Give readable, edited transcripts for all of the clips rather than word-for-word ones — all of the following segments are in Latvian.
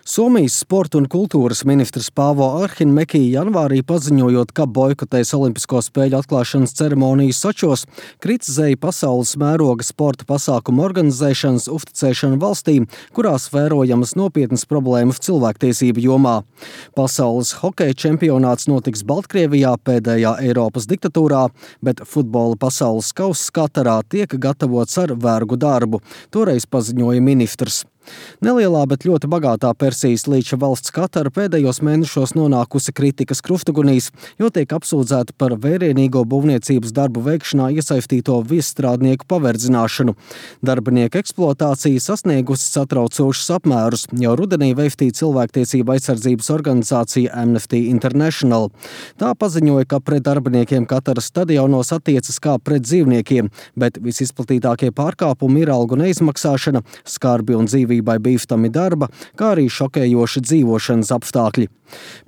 Somijas sporta un kultūras ministrs Paavo Arhinmäki janvārī paziņojot, ka boikotēs Olimpisko spēļu atklāšanas ceremoniju Sočos, kritizēja pasaules mēroga sporta pasākumu organizēšanas uzticēšanu valstīm, kurās vērojamas nopietnas problēmas cilvēktiesību jomā. Pasaules hokeja čempionāts notiks Baltkrievijā, pēdējā Eiropas diktatūrā, bet futbola pasaules kauss Katarā tiek gatavots ar vergu darbu, toreiz paziņoja ministrs. Nelielā, bet ļoti bagātā Persijas līča valsts Katara pēdējos mēnešos nonākusi kritikas krustugunīs, jo tiek apsūdzēta par vērienīgo būvniecības darbu veikšanā iesaistīto viesstrādnieku paverdzināšanu. Darbinieku eksploatācija sasniegusi satraucošus apmērus, jau rudenī veiktīja cilvēktiesība aizsardzības organizācija Amnesty International. Tā paziņoja, ka pret darbiniekiem Kataras stadionos attiecas kā pret dzīvniekiem, bet visizplatītākie pārkāpumi ir algu neizmaksāšana, skarbi un dzīvībai bīstami darba, kā arī šokējoši dzīvošanas apstākļi.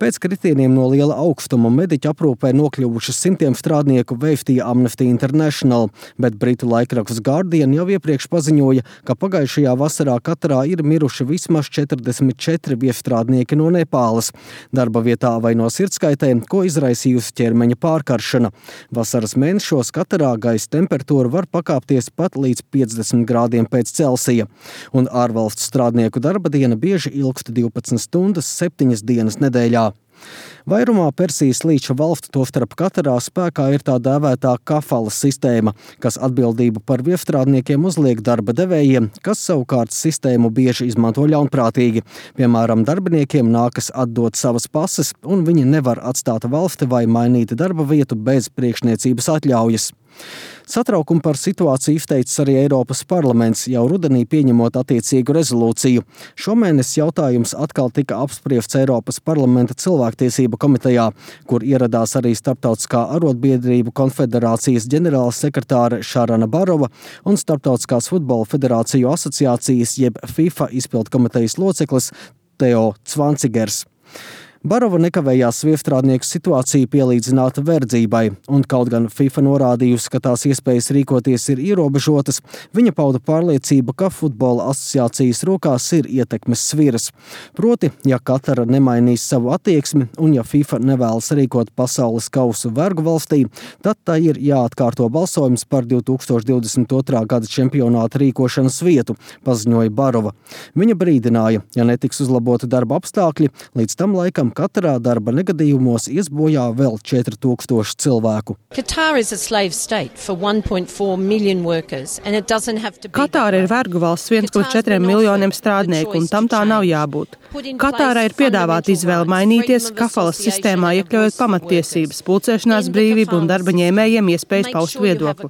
Pēc kritieniem no liela augstuma mediķu aprūpē nokļuvuši simtiem strādnieku veiktīja Amnesty International, bet britu laikraksts Guardian jau iepriekš paziņoja, ka pagājušajā vasarā Katarā ir miruši vismaz 44 viesstrādnieki no Nepāles, darba vietā vai no sirdskaitēm, ko izraisījusi ķermeņa pārkaršana. Vasaras mēnešos Katarā gaisa temperatūra var pakāpties pat līdz 50 grādiem pēc Celsija, un ārvalstu strādnieku darba diena bieži ilgst 12 stundas 7 dienas nedēļā. Vairumā Persijas līča valstu, tostarp Katarā, spēkā ir tā dēvētā kafalas sistēma, kas atbildību par viesstrādniekiem uzliek darba devējiem, kas savukārt sistēmu bieži izmanto ļaunprātīgi. Piemēram, darbiniekiem nākas atdot savas pases, un viņi nevar atstāt valsti vai mainīt darba vietu bez priekšniecības atļaujas. Satraukumu par situāciju izteicis arī Eiropas parlaments, jau rudenī pieņemot attiecīgu rezolūciju. Šomēnes jautājums atkal tika apspriests Eiropas parlamenta cilvēktiesību komitejā, kur ieradās arī Starptautiskā arotbiedrību konfederācijas ģenerāla sekretāre Šarana Barova un Starptautiskās futbola federāciju asociācijas jeb FIFA izpildkomitejas loceklis Teo Cvancigers. Barova nekavējās viesstrādnieku situāciju pielīdzināt verdzībai, un kaut gan FIFA norādījusi, ka tās iespējas rīkoties ir ierobežotas, viņa pauda pārliecību, ka futbola asociācijas rokās ir ietekmes sviras. Proti, ja Katara nemainīs savu attieksmi un ja FIFA nevēlas rīkot pasaules kausu vergu valstī, tad tā ir jāatkārto balsojums par 2022. Gada čempionāta rīkošanas vietu, paziņoja Barova. Viņa brīdināja, ja netiks uzlaboti darba apstākļi, līdz tam laikam Katarā darba negadījumos ies bojā vēl 4000 cilvēku. Katāra ir vergu valsts 1,4 miljoniem strādnieku, un tam tā nav jābūt. Katārai ir piedāvāta izvēle mainīties, kafalas sistēmā iekļaujot pamattiesības, pulcēšanās brīvību un darba ņēmējiem iespējas paust viedokli.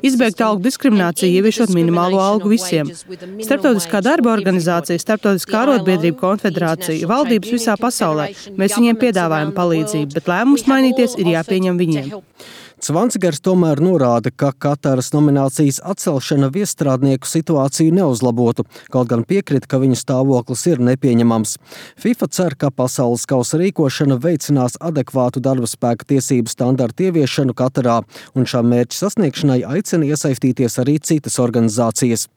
Izbeigt algu diskrimināciju, ieviešot minimālo algu visiem. Starptautiskā darba organizācija, Starptautiskā arotbiedrību konfederācija, valdības visā pasaulē. Mēs viņiem piedāvājam palīdzību, bet lēmums mainīties ir jāpieņem viņiem. Cvancigers tomēr norāda, ka Kataras nominācijas atcelšana viesstrādnieku situāciju neuzlabotu, kaut gan piekrita, ka viņu stāvoklis ir nepieņemams. FIFA cer, ka pasaules kausa rīkošana veicinās adekvātu darba spēka tiesību standartu ieviešanu Katarā, un šā mērķa sasniegšanai aicina iesaistīties arī citas organizācijas.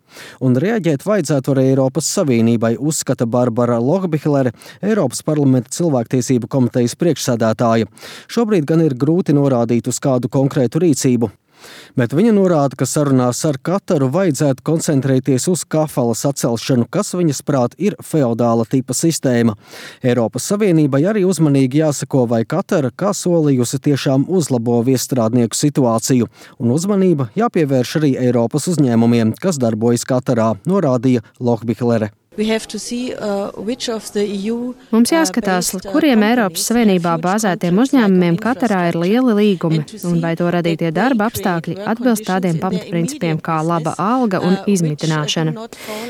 Un reaģēt vajadzētu arī Eiropas Savienībai, uzskata Barbara Lohbihlere, Eiropas parlamenta cilvēktiesību komitejas priekšsēdētāja. Šobrīd gan ir grūti norādīt uz kādu konkrētu rīcību. Bet viņa norāda, ka sarunās ar Kataru vajadzētu koncentrēties uz kafalas atcelšanu, kas viņas prāt ir feodāla tipa sistēma. Eiropas Savienībai arī uzmanīgi jāsako, vai Katara, kā solījusi, tiešām uzlabo viesstrādnieku situāciju, un uzmanība jāpievērš arī Eiropas uzņēmumiem, kas darbojas Katarā, norādīja Lohbihlere. Mums jāskatās, kuriem Eiropas Savienībā bāzētiem uzņēmumiem Katarā ir lieli līgumi, un vai to radītie darba apstākļi atbilst tādiem pamatprincipiem kā laba alga un izmitināšana.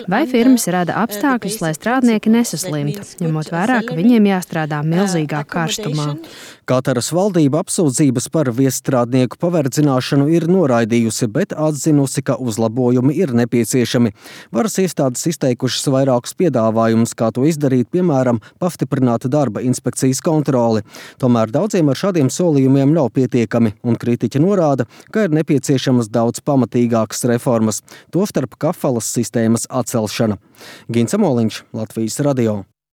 Vai firmas rada apstākļus, lai strādnieki nesaslimtu, ņemot vērā, ka viņiem jāstrādā milzīgā karstumā. Kataras valdība apsūdzības par viesstrādnieku paverdzināšanu ir noraidījusi, bet atzinusi, ka uzlabojumi ir nepieciešami. Varas iestādes izteikušas vairākus piedāvājumus, kā to izdarīt, piemēram, pastiprināt darba inspekcijas kontroli. Tomēr daudziem ar šādiem solījumiem nav pietiekami, un kritiķi norāda, ka ir nepieciešamas daudz pamatīgākas reformas, tostarp kafalas sistēmas atcelšana. Gins Amoliņš, Latvijas radio.